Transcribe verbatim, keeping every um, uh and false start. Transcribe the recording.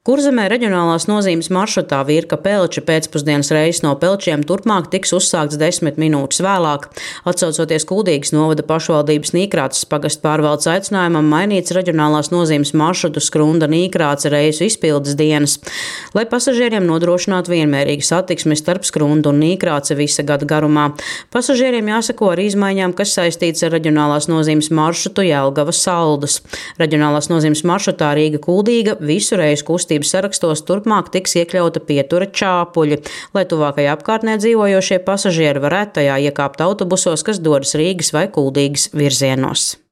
Kurzemē reģionālās nozīmes maršrutā Virka-Pelči pēcpusdienas reiss no Pelčiem turpmāk tiks uzsākts desmit minūtes vēlāk. Atsaucoties Kuldīgas novada pašvaldības Nīkrāces pagasta pārvaldes aicinājumam, mainīts reģionālās nozīmes maršrutu Skrunda-Nīkrāce reisu izpildes dienas, lai pasažieriem nodrošinātu vienmērīgu satiksmi starp Skrundu un Nīkrāci visa gada garumā. Pasažieriem jāseko ar izmaiņām, kas saistīts ar reģionālās nozīmes maršrutu Jelgava-Saldus. Reģionālās nozīmes maršrutā Rīga-Kuldīga visu reisu kustības sarakstos turpmāk tiks iekļauta pietura Čāpuļi, lai tuvākajā apkārtnē dzīvojošie pasažieri varētu tajā iekāpt autobusos, kas dodas Rīgas vai Kuldīgas virzienos.